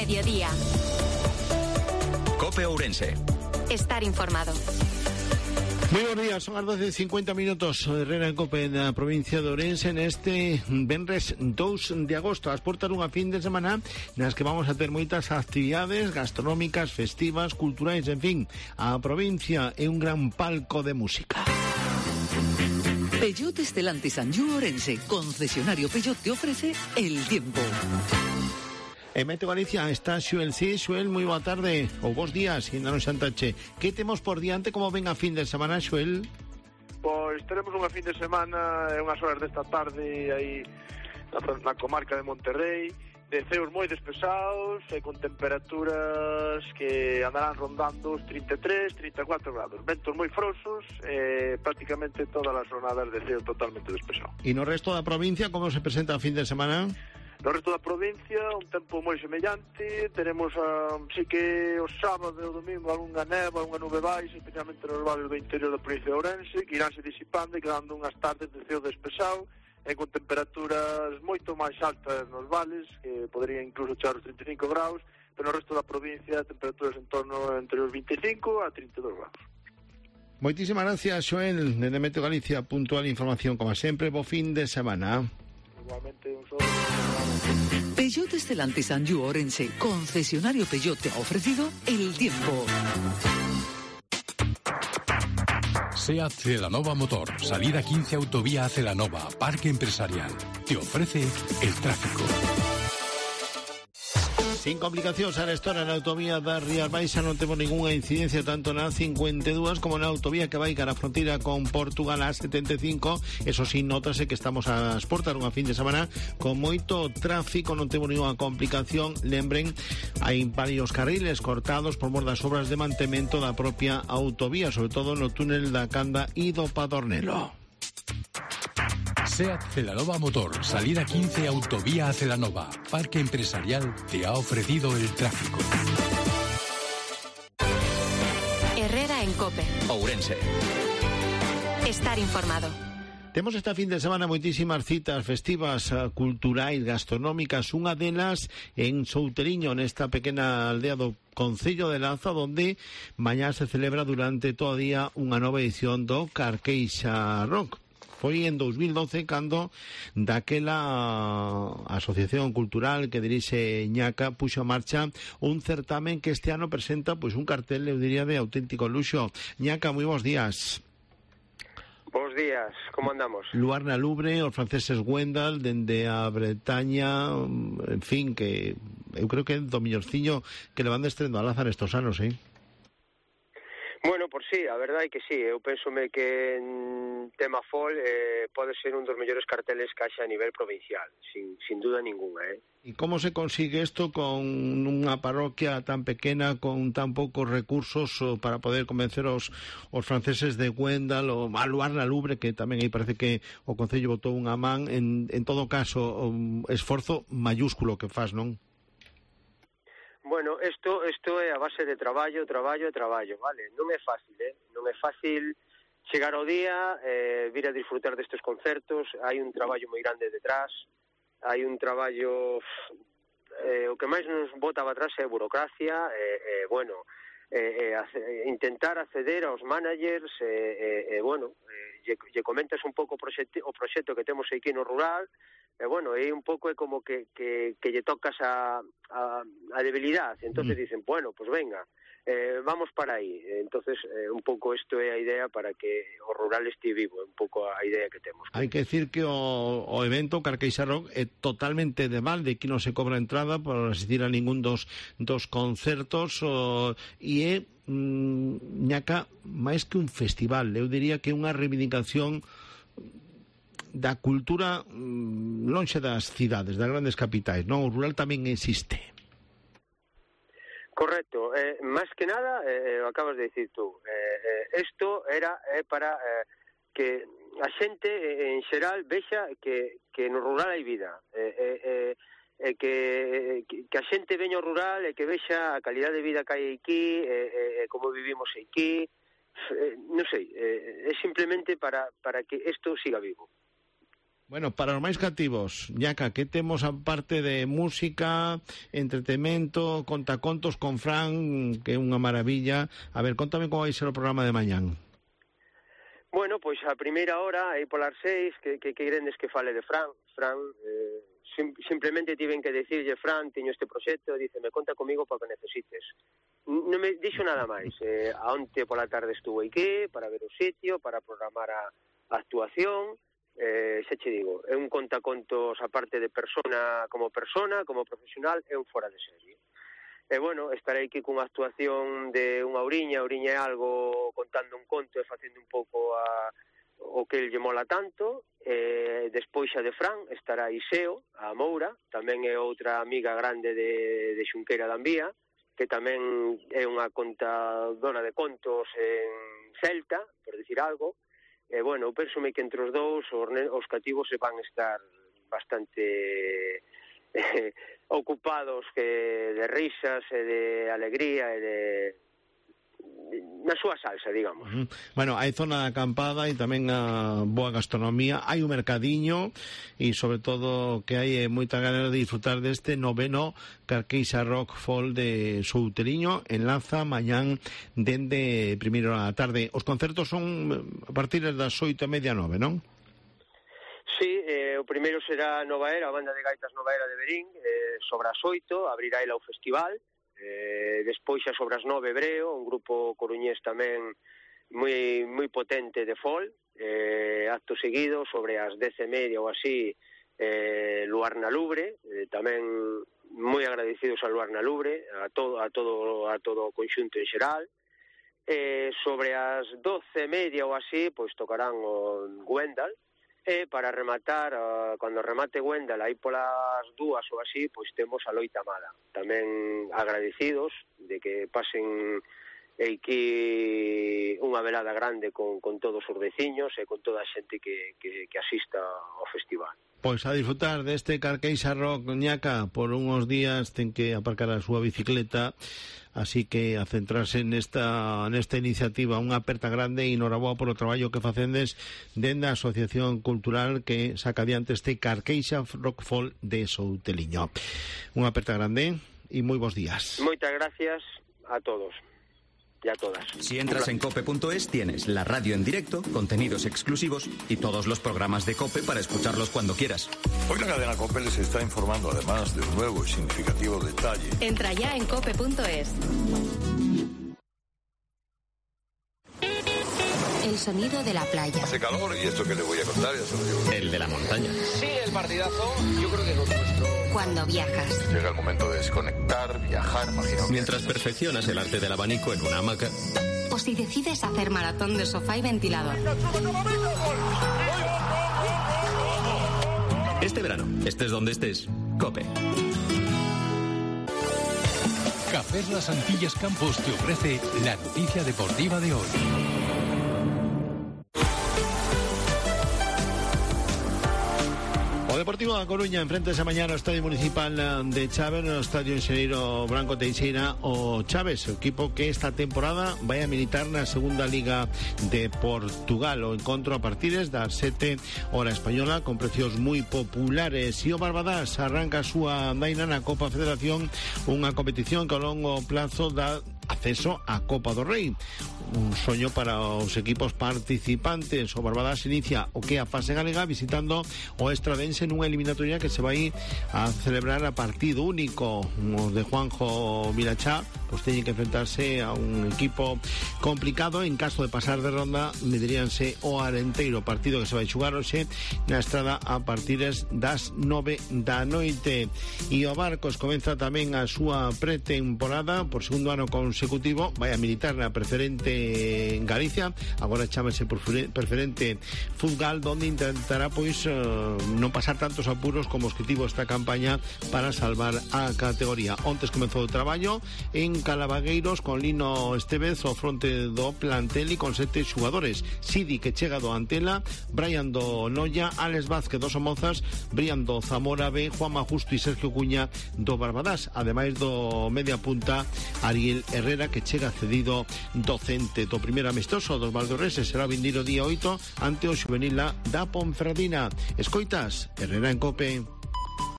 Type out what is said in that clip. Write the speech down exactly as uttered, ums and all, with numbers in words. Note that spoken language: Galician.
mediodía. COPE Ourense. Estar informado. Muy buenos días, son las doce e cincuenta minutos. Herrera en COPE na provincia de Ourense neste venres dous de agosto, as portas dunha fin de semana nas que vamos a ter moitas actividades gastronómicas, festivas, culturais, en fin, a provincia é un gran palco de música. Peugeot Stellantis Anjou Ourense, concesionario Peugeot, te ofrece el tiempo. En Meteo Galicia está Xuel. Sí, Xuel, moi boa tarde, ou bons días, ainda non xantache. Que temos por diante, como ven a fin de semana, Xuel? Pois teremos unha fin de semana e unhas horas desta tarde aí na, na comarca de Monterrey, de ceos moi despesados e con temperaturas que andarán rondando os trinta e tres, trinta e catro grados, ventos moi frosos e prácticamente todas as jornadas de ceo totalmente despesado. E no resto da provincia, como se presenta a fin de semana? No resto da provincia, un tempo moi semellante. Tenemos, uh, sí que os sábados e o domingo algunha neva, unha nube baixa, especialmente nos vales do interior da provincia de Ourense, que iránse disipando e quedando unhas tardes de ceo despesado e con temperaturas moito máis altas nos vales, que poderían incluso chegar os trinta e cinco graus, pero no resto da provincia temperaturas en torno entre os vinte e cinco a trinta e dos graus. Moitísimas gracias, Xoel, de Meteo Galicia. Puntual información, como sempre. Bo fin de semana. Igualmente, un solo... Peugeot Stellantis Anjou Ourense, concesionario Peugeot, te ha ofrecido el tiempo. SEAT Celanova Motor, salida quince autovía a Celanova, Parque Empresarial. Te ofrece el tráfico. Sin complicacións, a estora na autovía da Rías Baixas non temos ninguna incidencia tanto na cincuenta e dúas como na autovía que vai cara a fronteira con Portugal a setenta e cinco. Eso sí, notase que estamos a exportar unha fin de semana con moito tráfico, non temos ninguna complicación. Lembren, hai varios carriles cortados por mor das obras de mantemento da propia autovía, sobre todo no túnel da Canda e do Padornelo. SEAT Celanova Motor, salida quince autovía a Celanova, Parque Empresarial, te ha ofrecido el tráfico. Herrera en COPE. Ourense. Estar informado. Temos esta fin de semana moitísimas citas festivas, culturais, gastronómicas. Unha delas en Souteriño, nesta pequena aldea do Concello de Lanza, donde mañá se celebra durante todo o día unha nova edición do Carqueixa Rock. Foi en dos mil doce cando daquela asociación cultural que dirixe Ñaca puxo a marcha un certamen que este ano presenta pois un cartel, eu diría, de auténtico luxo. Ñaca, moi bons días. Bos días, como andamos? Luar na Lubre, os franceses Wendal, dende a Bretaña, en fin, que eu creo que é do millorciño que le van destrendo a Lázaro estos anos, eh? Bueno, por sí, a verdade é que sí, eu pensome que en tema fol eh, pode ser un dos mellores carteles que haxa a nivel provincial, sin, sin duda ninguna, eh? E como se consigue isto con unha parroquia tan pequena, con tan poucos recursos para poder convencer os, os franceses de Wendal ou a Luar na Lubre, que tamén aí parece que o Concello botou unha man, en, en todo caso, un esforzo mayúsculo que faz, non? Bueno, isto isto é a base de traballo, traballo e traballo, vale? Non é fácil, eh? Non é fácil chegar ao día, eh, vir a disfrutar destes concertos, hai un traballo moi grande detrás, hai un traballo... Eh, o que máis nos bota para atrás é a burocracia, e, eh, eh, bueno, eh, eh, intentar acceder aos managers, e, eh, eh, eh, bueno, eh, lle, lle comentas un pouco o proxecto, o proxecto que temos aquí no rural, e bueno, é un pouco é como que, que, que lle tocas a, a, a debilidade, entonces mm. dicen, bueno, pues venga, eh, vamos para aí, entonces eh, un pouco isto é a idea para que o rural este vivo, é un pouco a idea que temos. Hai que decir que o, o evento Carqueixa Rock é totalmente de balde, que non se cobra entrada por asistir a ningún dos, dos concertos, o, e é, mm, Ñaca, máis que un festival, eu diría que é unha reivindicación da cultura mmm, lonxe das cidades, das grandes capitais, non? O rural tamén existe. Correcto, eh, máis que nada, eh, o acabas de dicir tú, eh, eh, isto era eh, para eh, que a xente eh, en xeral vexa que, que no rural hai vida, eh, eh, eh, eh, que, que, que a xente veña ao rural e que vexa a calidade de vida que hai aquí, eh, eh, como vivimos aquí, eh, non sei, eh, é simplemente para, para que isto siga vivo. Bueno, para os máis cativos, Ñaca, que temos aparte de música, entretemento, contacontos con Fran, que é unha maravilla. A ver, contame como vai ser o programa de mañán. Bueno, pois a primeira hora, aí polas seis, que, que querendes que fale de Fran. Fran, eh, sim, simplemente tiven que decirlle, Fran, teño este proxecto, dice, me conta comigo para que necesites. Non me dixo nada máis. Eh, a onte pola tarde estuvo aquí para ver o sitio, para programar a, a actuación. Eh, xa che digo, é un contacontos aparte de persona como persona, como profesional, é un fora de serie. E bueno, estarei aquí cunha actuación de unha ouriña, ouriña é algo contando un conto e facendo un pouco a, o que el lle mola tanto. E despois xa de Fran estará Iseo, a Moura, tamén é outra amiga grande de, de Xunqueira da Envía, que tamén é unha contadora de contos en celta, por dicir algo. E, bueno, pensome que entre os dous os, os cativos se van estar bastante eh, ocupados que de risas e de alegría e de na súa salsa, digamos. Uh-huh. Bueno, hai zona de acampada e tamén a boa gastronomía, hai un mercadiño e sobre todo que hai moita ganas de disfrutar deste noveno Carqueixa Rock Folk de Souteliño. Enlaza mañán dende primeira hora da tarde. Os concertos son a partir das oito e media, nove, non? Sí, eh, o primeiro será Nova Era, a banda de gaitas Nova Era de Verín, eh, sobre as oito, abrirá ela o festival. Eh, despois xa sobre as nove Breo, un grupo coruñés tamén moi moi potente de folk. Eh, acto seguido sobre as dez e media ou así, eh, Luar na Lubre, eh, tamén moi agradecidos a Luar na Lubre, a todo a todo a todo o conxunto en xeral. Eh, sobre as doce e media ou así, pois tocarán o Gwendal. E para rematar, uh, cando remate Gwendal, aí polas dúas ou así, pois temos a Loita Amada. Tamén agradecidos de que pasen aquí unha velada grande con, con todos os veciños e con toda a xente que, que, que asista ao festival. Pois a disfrutar deste Carqueixa Rock, Ñaca, por unhos días ten que aparcar a súa bicicleta, así que a centrarse nesta, nesta iniciativa, unha aperta grande e noraboa polo traballo que facendes dende a Asociación Cultural que saca adiante este Carqueixa Rock Folk de Souteliño. Unha aperta grande e moi bons días. Moitas gracias a todos. Y a todas. Si entras en cope punto es tienes la radio en directo, contenidos exclusivos y todos los programas de COPE para escucharlos cuando quieras. Hoy la cadena COPE les está informando además de un nuevo y significativo detalle. Entra ya en cope punto es. El sonido de la playa. Hace calor y esto que le voy a contar ya se lo digo. El de la montaña. Sí, el partidazo, yo creo que es lo nuestro. Cuando viajas. Llega el momento de desconectar, viajar, imagino. Mientras perfeccionas el arte del abanico en una hamaca. O si decides hacer maratón de sofá y ventilador. Este verano, estés donde estés, COPE. Cafés Las Antillas Campos te ofrece la noticia deportiva de hoy. O Deportivo da Coruña enfrenta esa mañana ao Estadio Municipal de Chaves, no Estadio Enxeñeiro Branco Teixeira, o Chaves, o equipo que esta temporada vai a militar na segunda Liga de Portugal. O encontro a partir das sete hora española, con precios moi populares. E o Barbadás arranca a súa andaina na Copa Federación, unha competición que ao longo plazo dá acceso á Copa do Rei. Un soño para os equipos participantes. O Barbadás inicia o que a fase galega visitando o Estradense nunha eliminatoria que se vai a celebrar a partido único. Os de Juanjo Vilachá pois teñen que enfrentarse a un equipo complicado. En caso de pasar de ronda mediríanse o Arenteiro, partido que se vai xugar hoxe na Estrada a partir das nove da noite. E o Barcos comeza tamén a súa pretemporada por segundo ano consecutivo, vai a militar na preferente en Galicia, agora chámase preferente Fútbol, donde intentará pois eh, non pasar tantos apuros como os que tivo esta campaña para salvar a categoría. Ontes comezou o traballo en en Calabagueiros con Lino Estevez ao fronte do plantel e con sete xogadores. Sidi, que chega do Antela, Brian do Noia, Alex Vázquez do Somozas, Brian do Zamora B, Juanma Justo e Sergio Cuña do Barbadás, ademais do media punta Ariel Herrera, que chega cedido docente. Do primeiro amistoso dos valdorreses será o vindeiro día oito ante o xuvenil da Ponferradina. Escoitas Herrera en Cope.